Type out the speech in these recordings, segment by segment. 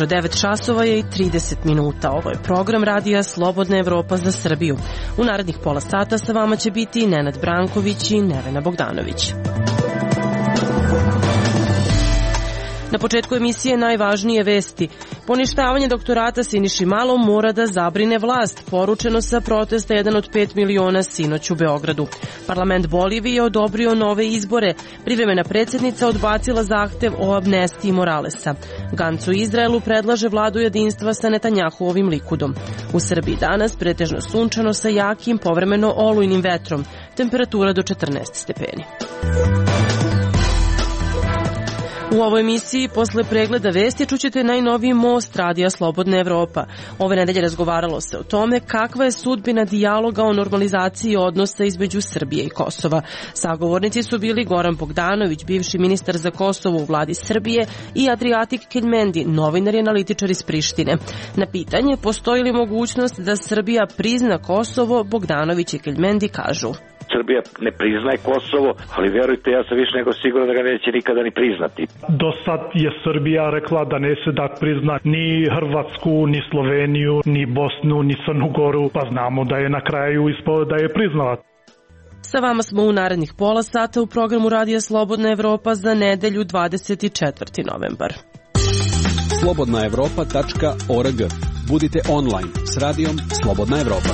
jutro, 9 časova je i 30 minuta. Ovo je program radija Slobodna Evropa za Srbiju. U narednih pola sata sa vama će biti Nenad Branković i Nevena Bogdanović. Na početku emisije najvažnije vesti. Poništavanje doktorata Siniši Malom mora da zabrine vlast, poručeno sa protesta 1 od 5 miliona sinoć u Beogradu. Parlament Bolivije je odobrio nove izbore. Privremena predsjednica odbacila zahtev o amnestiji Moralesa. Ganc u Izraelu predlaže vladu jedinstva sa Netanjahuovim Likudom. U Srbiji danas pretežno sunčano sa jakim, povremeno olujnim vetrom. Temperatura do 14 stepeni. U ovoj emisiji posle pregleda vesti čućete najnoviji most radija Slobodna Evropa. Ove nedelje razgovaralo se o tome kakva je sudbina dijaloga o normalizaciji odnosa između Srbije i Kosova. Sagovornici su bili Goran Bogdanović, bivši ministar za Kosovo u vladi Srbije, i Adriatik Keljmendi, novinar i analitičar iz Prištine. Na pitanje postoji li mogućnost da Srbija prizna Kosovo, Bogdanović i Keljmendi kažu: Srbija ne priznaje Kosovo, ali verujte, ja sam više nego siguran da ga neće nikada ni priznati. Do sad je Srbija rekla da neće da prizna ni Hrvatsku, ni Sloveniju, ni Bosnu, ni Crnu Goru, pa znamo da je na kraju ispalo da je priznala. Sa vama smo u narednih pola sata u programu Radija Slobodna Evropa za nedelju 24. novembar. slobodnaevropa.org. Budite online s radijom Slobodna Evropa.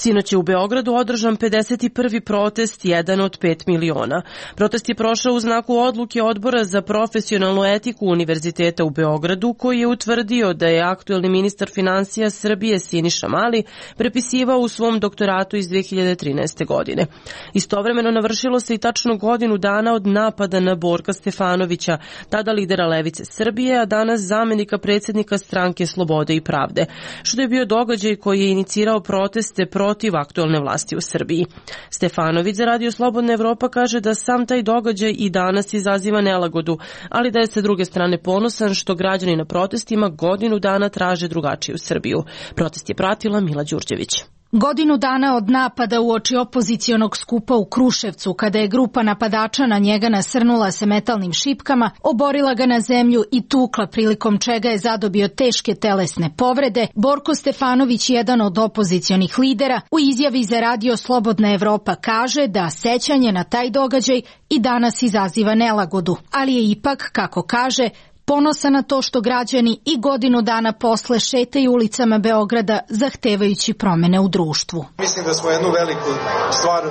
Sinoć je u Beogradu održan 51. protest 1 od 5 miliona. Protest je prošao u znaku odluke Odbora za profesionalnu etiku Univerziteta u Beogradu, koji je utvrdio da je aktuelni ministar finansija Srbije Siniša Mali prepisivao u svom doktoratu iz 2013. godine. Istovremeno navršilo se i tačno godinu dana od napada na Borka Stefanovića, tada lidera Levice Srbije, a danas zamenika predsjednika Stranke Slobode i Pravde, što je bio događaj koji je inicirao proteste protiv aktuelne vlasti u Srbiji. Stefanović za Radio Slobodna Evropa kaže da sam taj događaj i danas izaziva nelagodu, ali da je sa druge strane ponosan što građani na protestima godinu dana traže drugačiju Srbiju. Protest je pratila Mila Đurđević. Godinu dana od napada uoči opozicionog skupa u Kruševcu, kada je grupa napadača na njega nasrnula se metalnim šipkama, oborila ga na zemlju i tukla, prilikom čega je zadobio teške telesne povrede, Borko Stefanović, jedan od opozicionih lidera, u izjavi za Radio Slobodna Evropa kaže da sećanje na taj događaj i danas izaziva nelagodu, ali je ipak, kako kaže, ponosan na to što građani i godinu dana posle šetaju ulicama Beograda zahtevajući promene u društvu. Mislim da smo jednu veliku stvar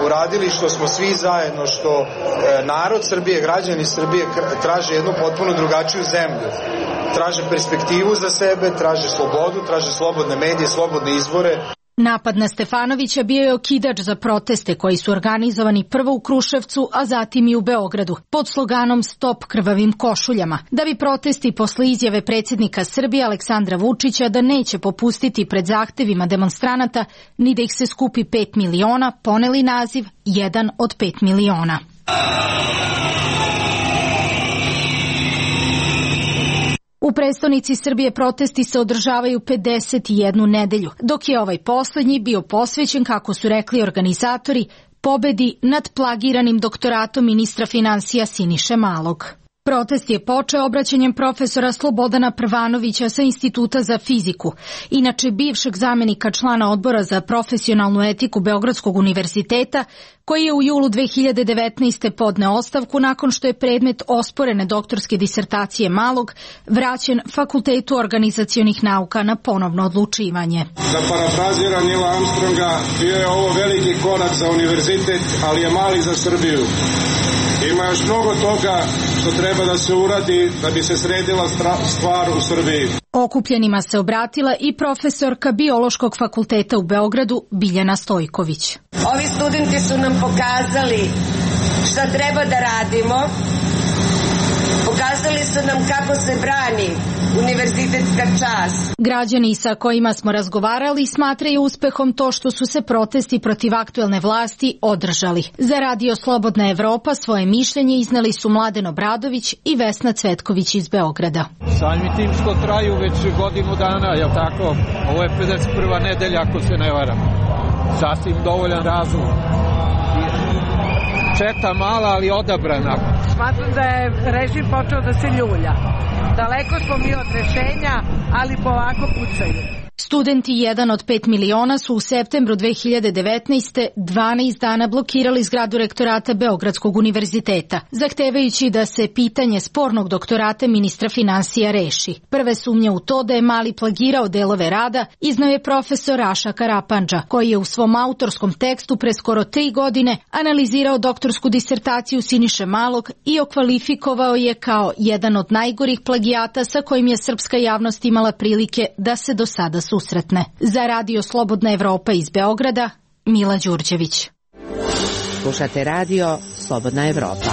uradili, što smo svi zajedno, što narod Srbije, građani Srbije traže jednu potpuno drugačiju zemlju. Traže perspektivu za sebe, traže slobodu, traže slobodne medije, slobodne izbore. Napad na Stefanovića bio je okidač za proteste koji su organizovani prvo u Kruševcu, a zatim i u Beogradu, pod sloganom Stop krvavim košuljama, da bi protesti posle izjave predsjednika Srbije Aleksandra Vučića da neće popustiti pred zahtevima demonstranata ni da ih se skupi 5 miliona, poneli naziv 1 od 5 miliona. U prestonici Srbije protesti se održavaju 51 nedelju, dok je ovaj poslednji bio posvećen, kako su rekli organizatori, pobedi nad plagiranim doktoratom ministra finansija Siniše Malog. Protest je počeo obraćanjem profesora Slobodana Prvanovića sa Instituta za fiziku, inače bivšeg zamenika člana Odbora za profesionalnu etiku Beogradskog univerziteta, koji je u julu 2019. podneo ostavku nakon što je predmet osporene doktorske disertacije Malog vraćen Fakultetu organizacionih nauka na ponovno odlučivanje. Da parafraziram Nila Armstronga, bio je ovo veliki korak za univerzitet, ali je mali za Srbiju. Ima još mnogo toga što treba da se uradi da bi se sredila stvar u Srbiji. Okupljenima se obratila i profesorka Biološkog fakulteta u Beogradu Biljana Stojković. Ovi studenti su nam pokazali šta treba da radimo. Pokazali su nam kako se brani univerzitetska čast. Građani sa kojima smo razgovarali smatraju uspehom to što su se protesti protiv aktuelne vlasti održali. Za Radio Slobodna Evropa svoje mišljenje izneli su Mladen Obradović i Vesna Cvetković iz Beograda. Samim tim što traju već godinu dana, je tako? Ovo je 51. nedelja, ako se ne varam. Sasvim dovoljan razlog. četa mala, ali odabrana. Smatram da je režim počeo da se ljulja. Daleko smo mi od rešenja, ali polako pucaju. Studenti 1 od 5 miliona su u septembru 2019. 12 dana blokirali zgradu rektorata Beogradskog univerziteta, zahtevajući da se pitanje spornog doktorata ministra finansija reši. Prve sumnje u to da je Mali plagirao delove rada iznao je profesor Raša Karapandža, koji je u svom autorskom tekstu pre skoro 3 godine analizirao doktorsku disertaciju Siniše Malog i okvalifikovao je kao jedan od najgorih plagijata sa kojim je srpska javnost imala prilike da se do sada susretne. Za Radio Slobodna Evropa iz Beograda, Mila Đurđević. Slušate Radio Slobodna Evropa.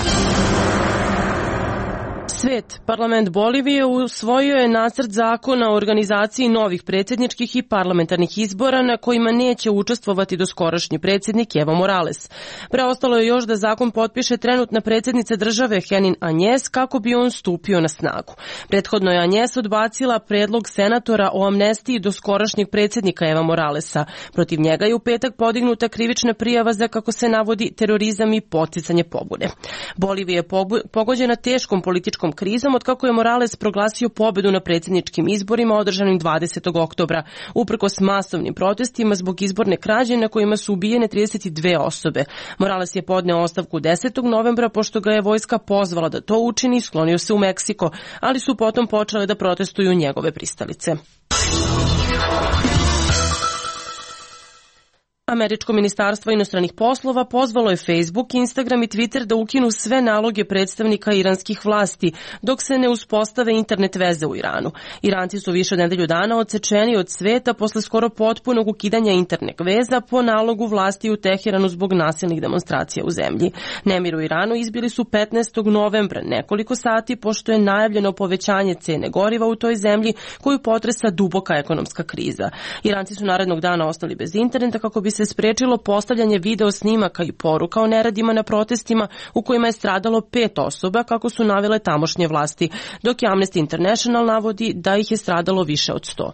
Svet. Parlament Bolivije usvojio je nacrt zakona o organizaciji novih predsjedničkih i parlamentarnih izbora na kojima neće učestvovati doskorašnji predsjednik Evo Morales. Preostalo je još da zakon potpiše trenutna predsjednica države Henin Anjes kako bi on stupio na snagu. Prethodno je Anjes odbacila predlog senatora o amnestiji doskorašnjeg predsjednika Eva Moralesa. Protiv njega je u petak podignuta krivična prijava za, kako se navodi, terorizam i podsticanje pobune. Bolivija je pogođena teškom političkom krizom od kako je Morales proglasio pobedu na predsjedničkim izborima održanim 20. oktobra, uprkos masovnim protestima zbog izborne krađe na kojima su ubijene 32 osobe. Morales je podneo ostavku 10. novembra pošto ga je vojska pozvala da to učini i sklonio se u Meksiko, ali su potom počele da protestuju njegove pristalice. Američko ministarstvo inostranih poslova pozvalo je Facebook, Instagram i Twitter da ukinu sve naloge predstavnika iranskih vlasti dok se ne uspostave internet veze u Iranu. Iranci su više od nedelju dana odsečeni od sveta posle skoro potpunog ukidanja internet veza po nalogu vlasti u Teheranu zbog nasilnih demonstracija u zemlji. Nemir u Iranu izbili su 15. novembra, nekoliko sati pošto je najavljeno povećanje cene goriva u toj zemlji koju potresa duboka ekonomska kriza. Iranci su narednog dana ostali bez interneta kako bi se sprečilo postavljanje video snimaka i poruka o neradima na protestima u kojima je stradalo 5 osoba, kako su navele tamošnje vlasti, dok je Amnesty International navodi da ih je stradalo više od 100.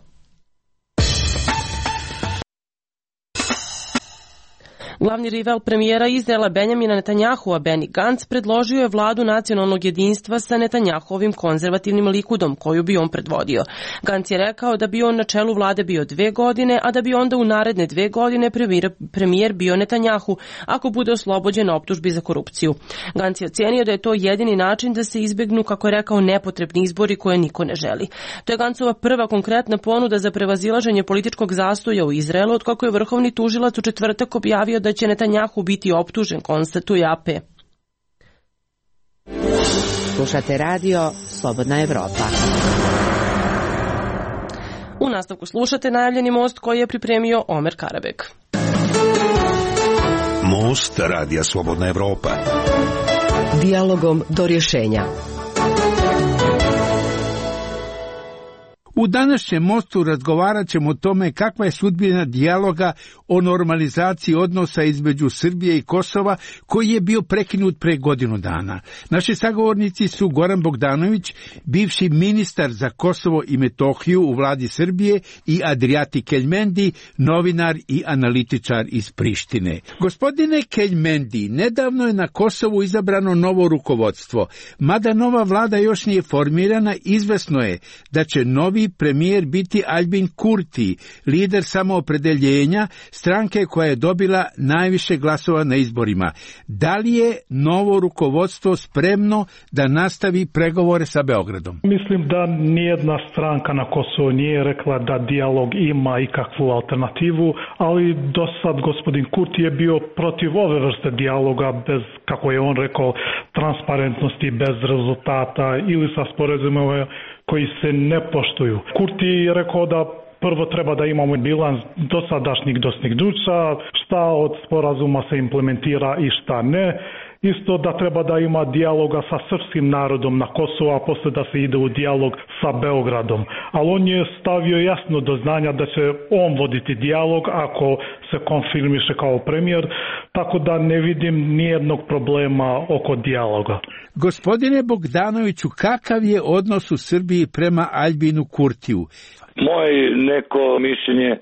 Glavni rival premijera Izraela Benjamina Netanjahua, Benny Gantz, predložio je vladu nacionalnog jedinstva sa Netanjahuovim konzervativnim Likudom, koju bi on predvodio. Gantz je rekao da bi on na čelu vlade bio 2 godine, a da bi onda u naredne 2 godine premijer bio Netanjahu, ako bude oslobođen optužbi za korupciju. Gantz je ocenio da je to jedini način da se izbegnu, kako je rekao, nepotrebni izbori koje niko ne želi. To je Gantzova prva konkretna ponuda za prevazilaženje političkog zastoja u Izraelu, od kako je vrhovni tužilac u četvrtak objavio da će Netanjahu biti optužen, konstatuje AP. Slušate Radio Slobodna Evropa. U nastavku slušate najavljeni most koji je pripremio Omer Karabek. Most Radija Slobodna Evropa. Dijalogom do rješenja. U današnjem mostu razgovarat ćemo o tome kakva je sudbina dijaloga o normalizaciji odnosa između Srbije i Kosova, koji je bio prekinut pre godinu dana. Naši sagovornici su Goran Bogdanović, bivši ministar za Kosovo i Metohiju u vladi Srbije, i Adriati Keljmendi, novinar i analitičar iz Prištine. Gospodine Keljmendi, nedavno je na Kosovu izabrano novo rukovodstvo. Mada nova vlada još nije formirana, izvesno je da će novi premijer biti Albin Kurti, lider Samoopredeljenja, stranke koja je dobila najviše glasova na izborima. Da li je novo rukovodstvo spremno da nastavi pregovore sa Beogradom? Mislim da nijedna stranka na Kosovu nije rekla da dijalog ima ikakvu alternativu, ali do sad gospodin Kurti je bio protiv ove vrste dijaloga bez, kako je on rekao, transparentnosti, bez rezultata ili sa sporazumima koji se ne poštuju. Kurti je rekao da prvo treba da imamo bilans dosadašnjih dostignuća, šta od sporazuma se implementira i šta ne. Isto da treba da ima dijaloga sa srpskim narodom na Kosovu, a posle da se ide u dijalog sa Beogradom. Ali on je stavio jasno do znanja da će on voditi dijalog ako se konfirmiše kao premijer, tako da ne vidim nijednog problema oko dijaloga. Gospodine Bogdanoviću, kakav je odnos u Srbiji prema Albinu Kurtiju? Moje neko mišljenje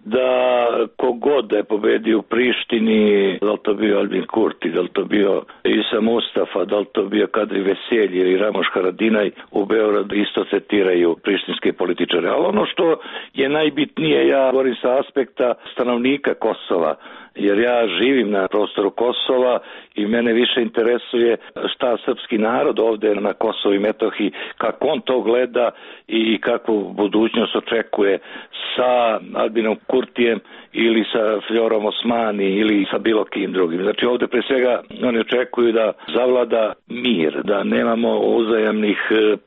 da kogod da je pobedio u Prištini, da li to bio Albin Kurti, da li to bio Isa Mustafa, da li to bio Kadri Veselji ili Ramoš Haradinaj, u Beogradu isto tretiraju prištinske političare. Ali ono što je najbitnije, ja govorim sa aspekta stanovnika Kosova, jer ja živim na prostoru Kosova i mene više interesuje šta srpski narod ovde na Kosovu i Metohiji, kako on to gleda i kakvu budućnost očekuje sa Albinom Kurtijem ili sa Fljorom Osmani ili sa bilo kim drugim. Znači ovde pre svega oni očekuju da zavlada mir, da nemamo uzajamnih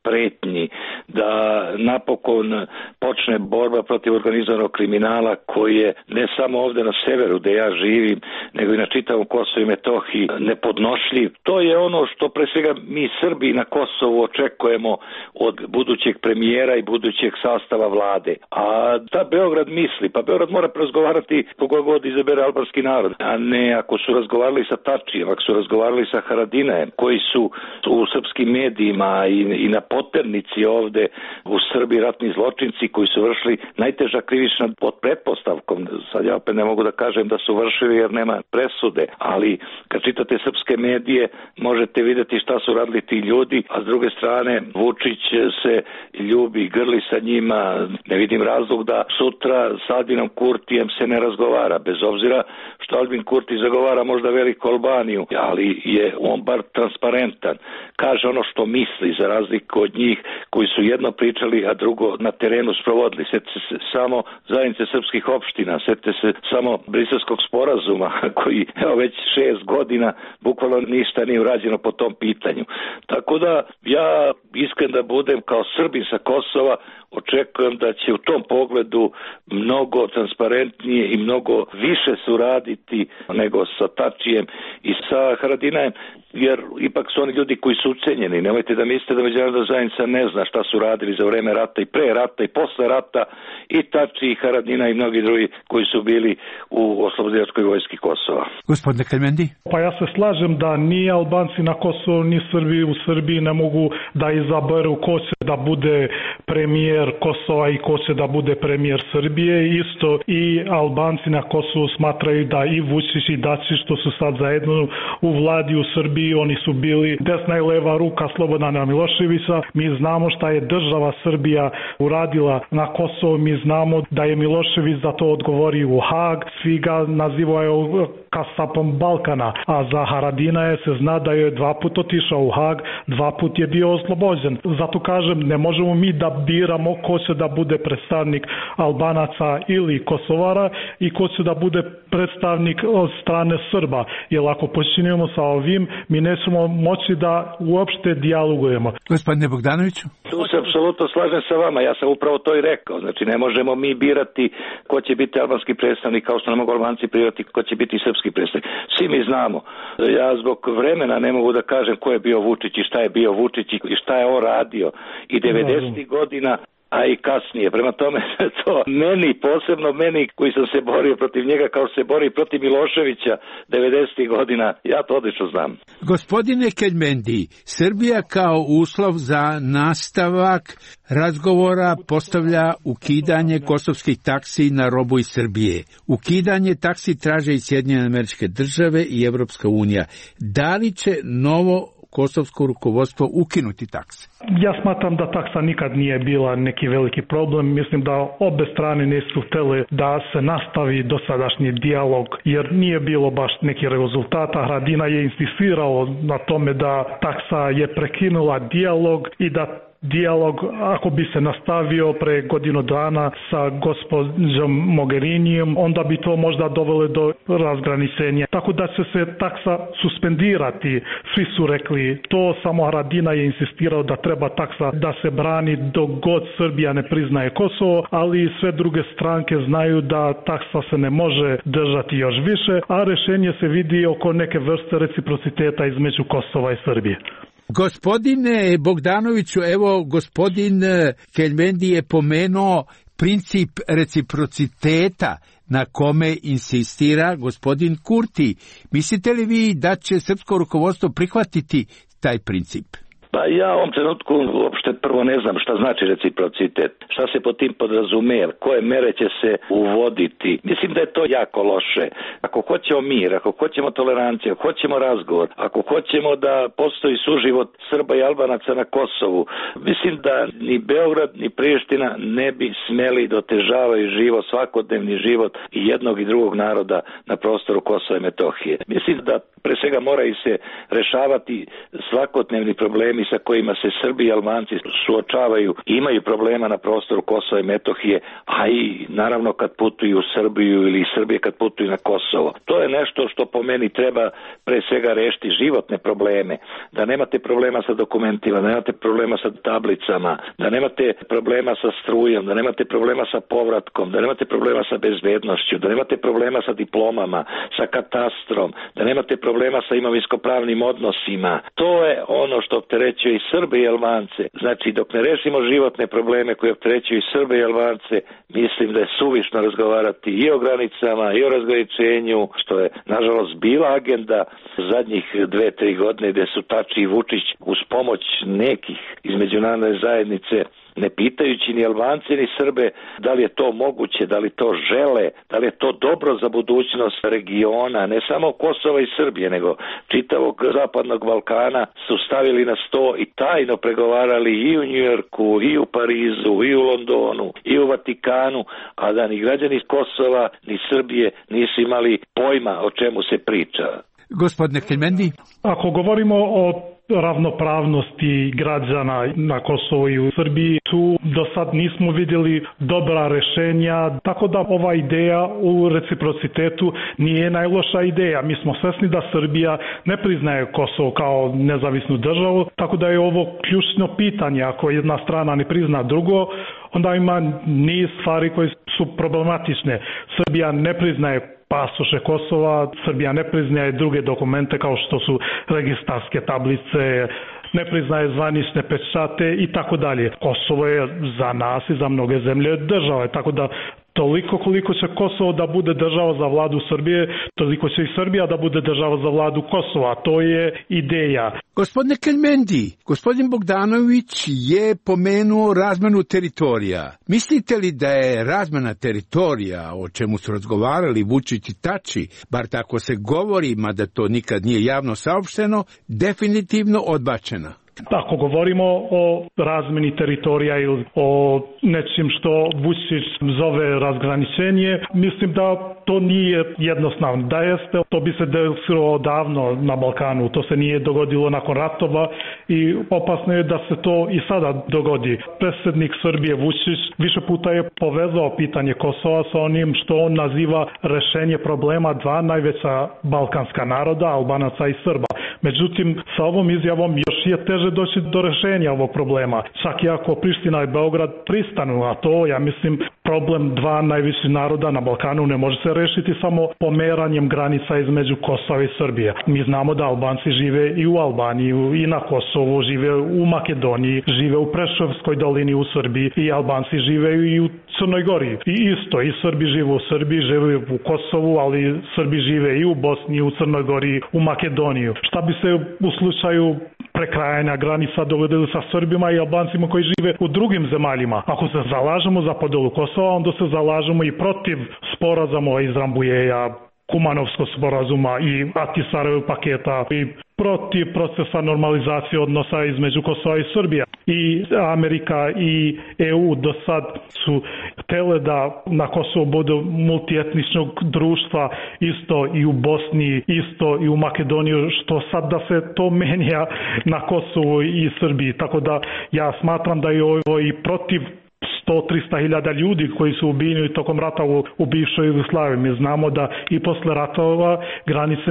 pretnji, da napokon počne borba protiv organizovanog kriminala koji je ne samo ovde na severu gde ja živim, nego i na čitavom Kosovu i Metohiji nepodnošljiv. To je ono što pre svega mi Srbi na Kosovu očekujemo od budućeg premijera i budućeg sastava vlade. A da Beograd misli, pa Beograd mora razgovarati koga god izabere albanski narod, a ne ako su razgovarali sa Tačijem, ako su razgovarali sa Haradinajem, koji su u srpskim medijima i na poternici ovde u Srbiji ratni zločinci koji su vršili najteža krivična pod pretpostavkom. Sad ja opet ne mogu da kažem da su vršili jer nema presude, ali kad čitate srpske medije možete vidjeti šta su radili ti ljudi, a s druge strane Vučić se ljubi, grli sa njima. Ne vidim razlog da sutra s Albinom Kurtijem se ne razgovara, bez obzira što Albin Kurti zagovara možda veliku Albaniju, ali je on bar transparentan. Kaže ono što misli, za razliku od njih koji su jedno pričali, a drugo na terenu sprovodili. Sjetite se samo zajednice srpskih opština, sjetite se samo Briselskog sporazuma koji evo već 6 godina bukvalno ništa nije urađeno po tom pitanju. Tako da ja iskren da budem kao Srbin sa Kosova, očekujem da će u tom pogledu mnogo transparentnije i mnogo više suraditi nego sa Tačijem i sa Haradinajem, jer ipak su oni ljudi koji su ucenjeni. Nemojte da mislite da međunarodna zajednica ne zna šta su radili za vreme rata i pre rata i posle rata i Tači i Haradina i mnogi drugi koji su bili u oslobodilačkoj vojski Kosova. Gospodine Kelmendi? Pa ja se slažem da ni Albanci na Kosovu ni Srbi u Srbiji ne mogu da izaberu ko će da bude premijer Kosova i ko će da bude premijer Srbije. Isto i Albanci na Kosovu smatraju da i Vučić i Dačić što su sad zajedno u vladi u Srbiji, oni su bili desna i leva ruka Slobodana Miloševića. Mi znamo šta je država Srbija uradila na Kosovu, mi znamo da je Milošević za to odgovorio u Hag, svi ga nazivaju kasapom Balkana, a za Haradinaja se zna da je 2 puta otišao u Hag, 2 puta je bio oslobođen. Zato kažem, ne možemo mi da biramo ko će da bude predstavnik Albanaca ili Kosovara i ko će da bude predstavnik od strane Srba. Jer ako počinjemo sa ovim, mi nećemo moći da uopšte dijalogujemo. Gospodine Bogdanoviću? Tu se apsolutno slažem sa vama, ja sam upravo to i rekao. Znači ne možemo mi birati ko će biti albanski predstavnik, kao što ne mogu Albanci birati ko će biti srpski predstavnik. Svi mi znamo. Ja zbog vremena ne mogu da kažem ko je bio Vučić i šta je bio Vučić i šta je on radio i 90. godina, a i kasnije. Prema tome, to meni, posebno meni koji sam se borio protiv njega kao se bori protiv Miloševića 90. godina, ja to odlično znam. Gospodine Kelmendi, Srbija kao uslov za nastavak razgovora postavlja ukidanje kosovskih taksi na robu iz Srbije. Ukidanje taksi traže i Sjedinjene Američke Države i Evropska unija. Da li će novo kosovsko rukovodstvo ukinuti takse? Ja smatram da taksa nikad nije bila neki veliki problem. Mislim da obe strane nisu htjeli da se nastavi dosadašnji dijalog, jer nije bilo baš neki rezultata. Haradinaj je insistirao na tome da taksa je prekinula dijalog i da dijalog, ako bi se nastavio pre godinu dana sa gospođom Mogherinijem, onda bi to možda dovelo do razgraničenja. Tako da će se taksa suspendirati. Svi su rekli to, samo Haradinaj je insistirao da treba taksa da se brani dok god Srbija ne priznaje Kosovo, ali sve druge stranke znaju da taksa se ne može držati još više, a rešenje se vidi oko neke vrste reciprociteta između Kosova i Srbije. Gospodine Bogdanoviću, evo gospodin Kelmendi je pomenuo princip reciprociteta na kome insistira gospodin Kurti. Mislite li vi da će srpsko rukovodstvo prihvatiti taj princip? Pa ja u ovom trenutku uopšte prvo ne znam šta znači reciprocitet, šta se pod tim podrazumeva, koje mere će se uvoditi. Mislim da je to jako loše. Ako hoćemo mir, ako hoćemo toleranciju, ako hoćemo razgovor, ako hoćemo da postoji suživot Srba i Albanaca na Kosovu, mislim da ni Beograd ni Priština ne bi smeli da otežavaju život, svakodnevni život i jednog i drugog naroda na prostoru Kosova i Metohije. Mislim da pre svega moraju se rešavati svakodnevni problemi sa kojima se Srbi i Albanci suočavaju i imaju problema na prostoru Kosova i Metohije, a i naravno kad putuju u Srbiju ili Srbije kad putuju na Kosovo. To je nešto što po meni treba pre svega rešiti životne probleme, da nemate problema sa dokumentima, da nemate problema sa tablicama, da nemate problema sa strujom, da nemate problema sa povratkom, da nemate problema sa bezbednošću, da nemate problema sa diplomama, sa katastrom, da nemate problema sa imovinsko-pravnim odnosima. To je ono što opterećuje i Srbe i Albance. Znači, dok ne rešimo životne probleme koje opterećuju i Srbe i Albance, mislim da je suvišno razgovarati i o granicama, i o razgraničenju, što je, nažalost, bila agenda zadnjih 2-3 godine gde su Tači i Vučić uz pomoć nekih iz međunarodne zajednice, ne pitajući ni Albance ni Srbe da li je to moguće, da li to žele, da li je to dobro za budućnost regiona, ne samo Kosova i Srbije, nego čitavog zapadnog Balkana, su stavili na sto i tajno pregovarali i u Njujorku, i u Parizu, i u Londonu, i u Vatikanu, a da ni građani Kosova ni Srbije nisu imali pojma o čemu se priča. Gospodine Kelmendi? Ako govorimo o ravnopravnosti građana na Kosovu i u Srbiji, tu do sad nismo vidjeli dobra rešenja, tako da ova ideja u reciprocitetu nije najloša ideja. Mi smo svesni da Srbija ne priznaje Kosovo kao nezavisnu državu, tako da je ovo ključno pitanje. Ako jedna strana ne prizna drugo, onda ima niz stvari koje su problematične. Srbija ne priznaje pasoše Kosova, Srbija ne priznaje druge dokumente kao što su registarske tablice, ne priznaje zvanične pečate i tako dalje. Kosovo je za nas i za mnoge zemlje država, tako da toliko koliko će Kosovo da bude država za vladu Srbije, toliko će i Srbija da bude država za vladu Kosova. To je ideja. Gospodine Kelmendi, gospodin Bogdanović je pomenuo razmenu teritorija. Mislite li da je razmena teritorija, o čemu su razgovarali Vučić i Tači, bar tako se govori, mada to nikad nije javno saopšteno, definitivno odbačena? Ako govorimo o razmeni teritorija ili o nečim što Vučić zove razgraničenje, mislim da to nije jednostavno. Da jeste, to bi se desilo odavno na Balkanu. To se nije dogodilo nakon ratova i opasno je da se to i sada dogodi. Predsjednik Srbije Vučić više puta je povezao pitanje Kosova sa onim što on naziva rešenje problema dva najveća balkanska naroda, Albanaca i Srba. Međutim, sa ovom izjavom još je teže doći do rešenja ovog problema. Čak i ako Priština i Beograd pristanu, a to, ja mislim, problem dva najviših naroda na Balkanu ne može se rešiti samo pomeranjem granica između Kosova i Srbije. Mi znamo da Albanci žive i u Albaniji i na Kosovu, žive u Makedoniji, žive u Preševskoj dolini u Srbiji i Albanci žive i u Crnoj Gori. I isto, i Srbi žive u Srbiji, žive u Kosovu, ali Srbi žive i u Bosni, u Crnoj Gori, u Makedoniju. Šta bi se u slučaju prekrajanja granica dogodilo sa Srbima i Albancima koji žive u drugim zemaljima? Ako se zalažemo za podelu Kosova, onda se zalažemo i protiv sporazuma iz Rambuljeja, Kumanovskog sporazuma i Ahtisaarevog paketa i protiv procesa normalizacije odnosa između Kosova i Srbije. I Amerika i EU do sad su htele da na Kosovu bude multietničnog društva, isto i u Bosni, isto i u Makedoniji, što sad da se to menja na Kosovu i Srbiji. Tako da ja smatram da je ovo i protiv 100-300 hiljada ljudi koji su ubijeni tokom rata u bivšoj Jugoslaviji. Mi znamo da i posle ratova granice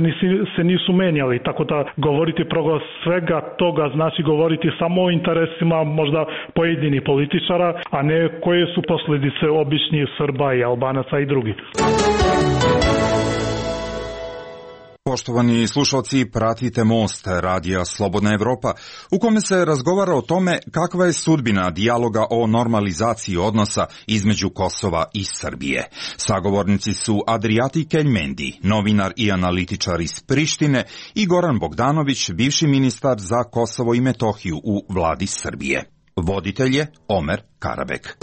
se nisu menjali, tako da govoriti protiv svega toga znači govoriti samo o interesima možda pojedinih političara, a ne koje su posljedice običnih Srba i Albanaca i drugih. Poštovani slušalci, pratite Most, radija Slobodna Evropa, u kome se razgovara o tome kakva je sudbina dijaloga o normalizaciji odnosa između Kosova i Srbije. Sagovornici su Adriati Keljmendi, novinar i analitičar iz Prištine, i Goran Bogdanović, bivši ministar za Kosovo i Metohiju u vladi Srbije. Voditelj je Omer Karabek.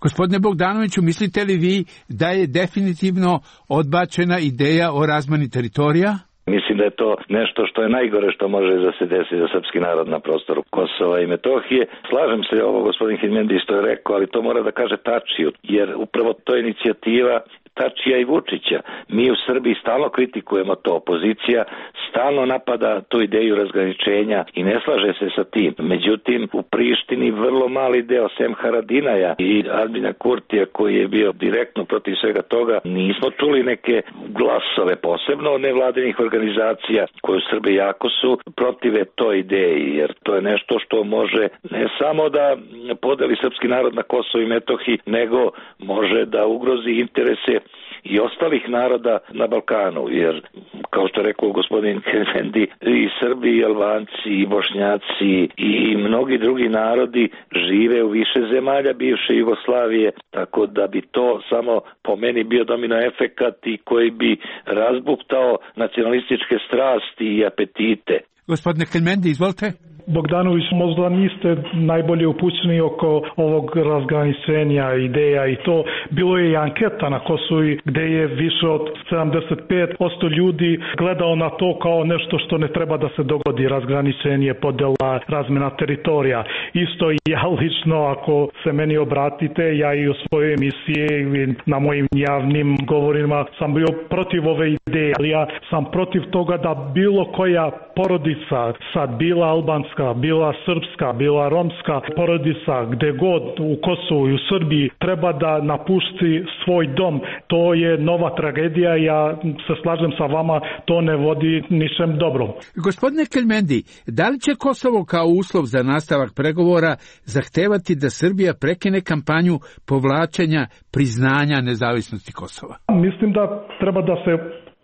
Gospodine Bogdanoviću, mislite li vi da je definitivno odbačena ideja o razmeni teritorija? Mislim da je to nešto što je najgore što može da se desi za srpski narod na prostoru Kosova i Metohije. Slažem se ovo gospodin Keljmendi što je rekao, ali to mora da kaže Tačiju, jer upravo to je inicijativa Tačija i Vučića. Mi u Srbiji stalno kritikujemo to, opozicija stalno napada tu ideju razgraničenja i ne slaže se sa tim. Međutim, u Prištini vrlo mali deo, sem Haradinaja i Albina Kurtija koji je bio direktno protiv svega toga, nismo čuli neke glasove, posebno od nevladinih organizacija koje u Srbiji jako su protive toj ideji, jer to je nešto što može ne samo da podeli srpski narod na Kosovo i Metohiji, nego može da ugrozi interese i ostalih naroda na Balkanu, jer kao što je rekao gospodin Keljmendi, i Srbi, i Albanci, i Bošnjaci i mnogi drugi narodi žive u više zemalja bivše Jugoslavije, tako da bi to samo po meni bio domino efekat i koji bi razbuktao nacionalističke strasti i apetite. Gospodine Keljmendi, izvolite. Bogdanović, možda niste najbolje upućeni oko ovog razgraničenja ideja i to. Bilo je i anketa na Kosovu gde je više od 75% ljudi gledao na to kao nešto što ne treba da se dogodi, razgraničenje, podela, razmena teritorija. Isto i ja lično, ako se meni obratite, ja i u svojoj emisiji i na mojim javnim govorima sam bio protiv ove ideje, ali ja sam protiv toga da bilo koja porodica, sad bila albanska, bila srpska, bila romska porodica, gde god u Kosovu i u Srbiji treba da napusti svoj dom. To je nova tragedija, ja se slažem sa vama, to ne vodi ničem dobrom. Gospodine Keljmendi, da li će Kosovo kao uslov za nastavak pregovora zahtevati da Srbija prekine kampanju povlačenja priznanja nezavisnosti Kosova? Mislim da treba da se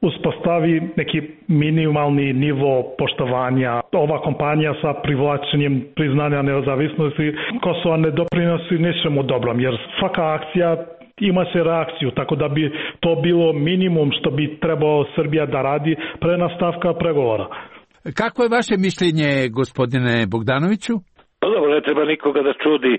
uspostavi neki minimalni nivo poštovanja. Ova kampanja sa privlačenjem priznanja nezavisnosti Kosova ne doprinosi ničemu dobrom, jer svaka akcija ima se reakciju, tako da bi to bilo minimum što bi trebao Srbija da radi pre nastavka pregovora. Kako je vaše mišljenje, gospodine Bogdanoviću? Pa dobro, ne treba nikoga da čudi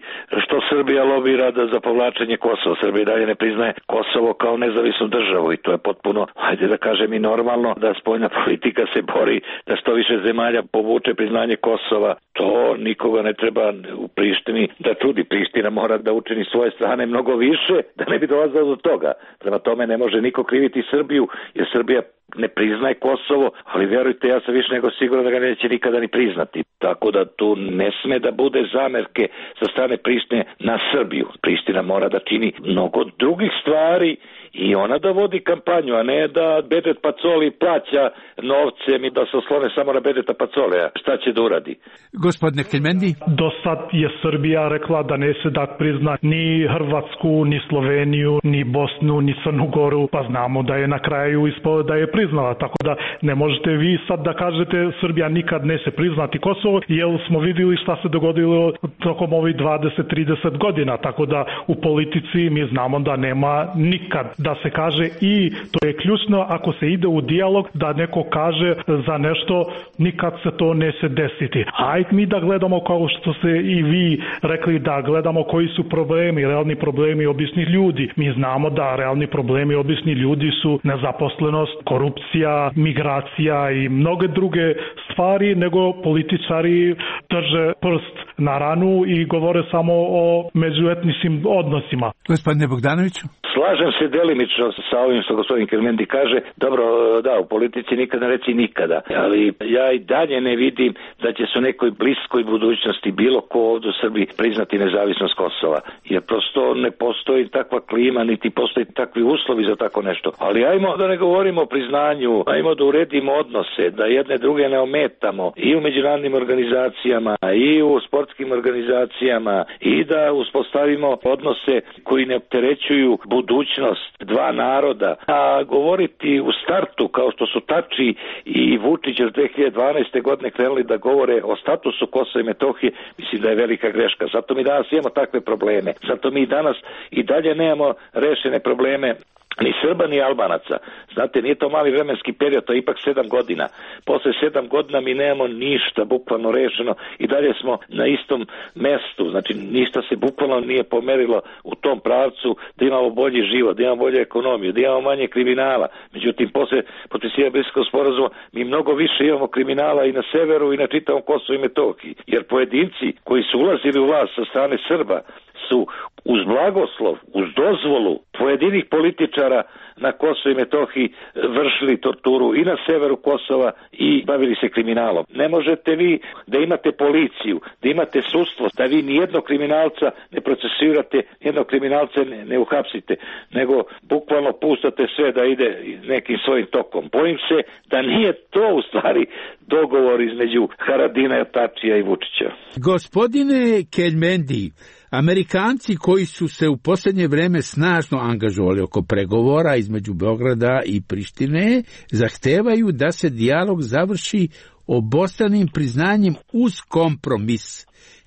što Srbija lobira za povlačenje Kosova. Srbija dalje ne priznaje Kosovo kao nezavisnu državu i to je potpuno, hajde da kažem, i normalno da spoljna politika se bori da što više zemalja povuče priznanje Kosova. To nikoga ne treba u Prištini da čudi. Priština mora da učini svoje strane mnogo više da ne bi dolazilo do toga. Prema tome ne može niko kriviti Srbiju, jer Srbija ne priznaje Kosovo, ali verujte, ja sam više nego siguran da ga neće nikada ni priznati. Tako da tu ne sme da bude zamerke sa strane Prištine na Srbiju. Priština mora da čini mnogo drugih stvari i ona da vodi kampanju, a ne da Bedet Pacoli plaća novcem i da se oslone samo na Bedeta Pacolija. Šta će da uradi? Gospodine Keljmendi? Do sad je Srbija rekla da neće da prizna ni Hrvatsku, ni Sloveniju, ni Bosnu, ni Crnu Goru, pa znamo da je na kraju ispalo da je priznala, tako da ne možete vi sad da kažete Srbija nikad neće priznati Kosovo, jer smo vidjeli šta se dogodilo tokom ovih 20-30 godina, tako da u politici mi znamo da nema nikad da se kaže, i to je ključno ako se ide u dijalog da neko kaže za nešto, nikad se to neće desiti. Ajde mi da gledamo, kao što ste i vi rekli, da gledamo koji su problemi, realni problemi običnih ljudi. Mi znamo da realni problemi običnih ljudi su nezaposlenost, korupcija, migracija i mnoge druge stvari, nego političari drže prst na ranu i govore samo o međuetničkim odnosima. Gospodine Bogdanoviću? Slažem se delimično sa ovim što gospodin Keljmendi kaže. Dobro, da, u politici nikada ne reci nikada, ali ja i dalje ne vidim da će se u nekoj bliskoj budućnosti bilo ko ovdje u Srbiji priznati nezavisnost Kosova, jer prosto ne postoji takva klima, niti postoji takvi uslovi za tako nešto. Ali ajmo da ne govorimo o priznanju, ajmo da uredimo odnose, da jedne druge ne ometamo i u međunarodnim organizacijama i u sportskim organizacijama i da uspostavimo odnose koji ne opterećuju budućnost dva naroda. A govoriti u startu, kao što su Tači i Vučić od 2012. godine krenuli da govore o statusu Kosova i Metohije, mislim da je velika greška. Zato mi danas imamo takve probleme. Zato mi danas i dalje nemamo rešene probleme ni Srba, ni Albanaca. Znate, nije to mali vremenski period, to je ipak 7 godina. Posle 7 godina mi nemamo ništa bukvalno rešeno i dalje smo na istom mestu. Znači, ništa se bukvalno nije pomerilo u tom pravcu da imamo bolji život, da imamo bolju ekonomiju, da imamo manje kriminala. Međutim, posle potpisivanja Briselskog sporazuma mi mnogo više imamo kriminala i na severu i na čitavom Kosovu i Metohiji. Jer pojedinci koji su ulazili u vlast sa strane Srba su uz blagoslov, uz dozvolu pojedinih političara na Kosovu i Metohiji vršili torturu i na severu Kosova i bavili se kriminalom. Ne možete vi da imate policiju, da imate sudstvo, da vi nijednog kriminalca ne procesuirate, nijednog kriminalca ne uhapsite, nego bukvalno pustate sve da ide nekim svojim tokom. Bojim se da nije to u stvari dogovor između Haradina, Tačija i Vučića. Gospodine Keljmendi, Amerikanci koji su se u posljednje vreme snažno angažovali oko pregovora između Beograda i Prištine zahtevaju da se dijalog završi obostranim priznanjem uz kompromis.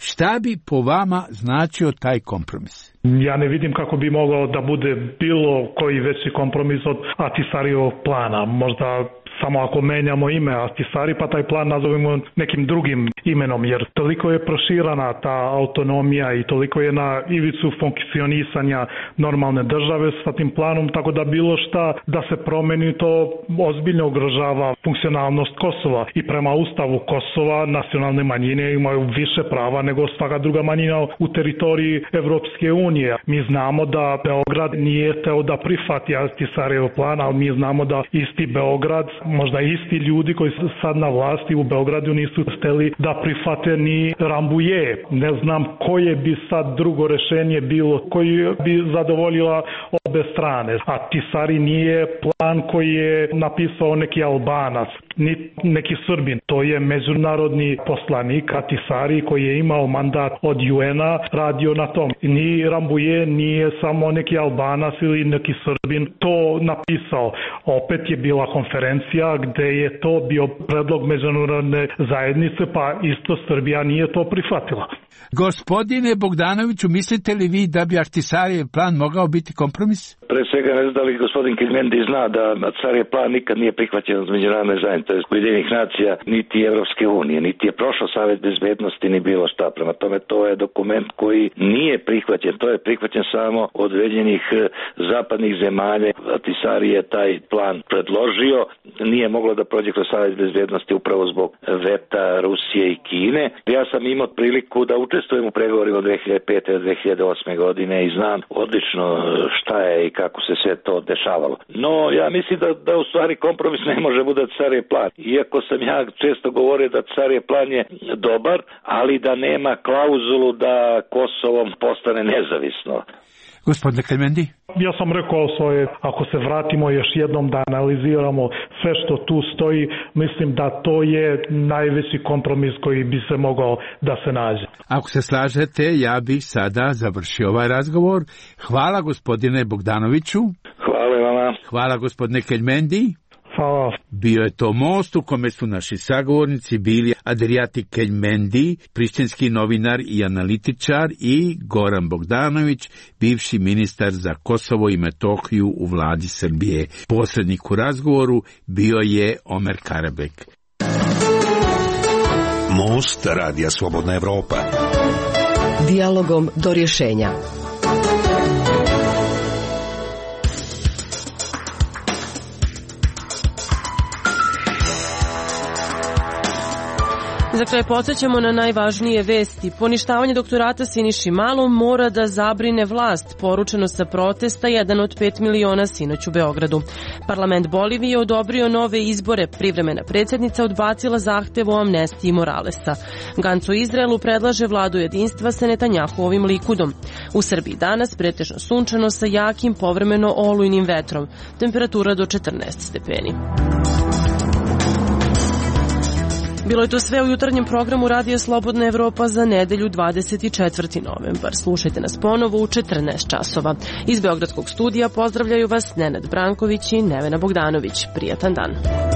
Šta bi po vama značio taj kompromis? Ja ne vidim kako bi mogao da bude bilo koji veći kompromis od Ahtisarijevog plana. Možda samo ako menjamo ime Ahtisari, pa taj plan nazovemo nekim drugim imenom, jer toliko je proširana ta autonomija i toliko je na ivicu funkcionisanja normalne države sa tim planom, tako da bilo šta da se promeni, to ozbiljno ugrožava funkcionalnost Kosova. I prema ustavu Kosova nacionalne manjine imaju više prava nego svaka druga manjina u teritoriji Evropske unije. Mi znamo da Beograd nije teo da prihvati Ahtisarijev plan, ali mi znamo da isti Beograd, možda isti ljudi koji su sad na vlasti u Beogradu nisu hteli da prihvate ni Rambuje. Ne znam koje bi sad drugo rešenje bilo, koji bi zadovoljila obe strane. Ahtisari nije plan koji je napisao neki Albanac, ni neki Srbin. To je međunarodni poslanik Ahtisari koji je imao mandat od UN-a, radio na tom. Ni Rambuje nije samo neki Albanac ili neki Srbin to napisao. Opet je bila konferencija gde je to bio predlog međunarodne zajednice, pa isto Srbija nije to prihvatila. Gospodine Bogdanoviću, mislite li vi da bi Ahtisarijev plan mogao biti kompromis? Pre svega ne znam da li gospodin Keljmendi zna da Ahtisarijev plan nikad nije prihvaćen od međunarodne zajednice, Ujedinjenih nacija, niti Evropske unije, niti je prošao Savet bezbednosti, ni bilo šta. Prema tome, to je dokument koji nije prihvaćen, to je prihvaćen samo od određenih zapadnih zemalja. Ahtisari je taj plan predložio, nije moglo da prođe kroz Savet bezbednosti upravo zbog veta Rusije i Kine. Ja sam imao priliku da učestvujem u pregovorima od 2005. do 2008. godine i znam odlično šta je i kako se sve to dešavalo. No, ja mislim da u stvari kompromis ne može bude Ahtisarijev plan. Iako sam ja često govorio da Ahtisarijev plan je dobar, ali da nema klauzulu da Kosovo postane nezavisno. Gospodine Keljmendi? Ja sam rekao svoje, ako se vratimo još jednom da analiziramo sve što tu stoji, mislim da to je najveći kompromis koji bi se mogao da se nađe. Ako se slažete, ja bih sada završio ovaj razgovor. Hvala gospodine Bogdanoviću. Hvala vama. Hvala gospodine Keljmendi. Hvala. Bio je to most u kome su naši sagovornici bili Adriati Keljmendi, prištinski novinar i analitičar, i Goran Bogdanović, bivši ministar za Kosovo i Metohiju u vladi Srbije. Posrednik u razgovoru bio je Omer Karabek. Most Radija Slobodna Evropa. Dijalogom do rješenja. Za kraj podsjećamo na najvažnije vesti. Poništavanje doktorata Siniši Malom mora da zabrine vlast, poručeno sa protesta 1 od 5 miliona sinoć u Beogradu. Parlament Bolivije odobrio nove izbore. Privremena predsjednica odbacila zahtev o amnestiji Moralesa. Ganc u Izraelu predlaže vladu jedinstva sa Netanjahuovim Likudom. U Srbiji danas pretežno sunčano sa jakim povremeno olujnim vetrom. Temperatura do 14 stepeni. Bilo je to sve u jutarnjem programu Radija Slobodna Evropa za nedelju 24. novembar. Slušajte nas ponovo u 14 časova. Iz Beogradskog studija pozdravljaju vas Nenad Branković i Nevena Bogdanović. Prijatan dan.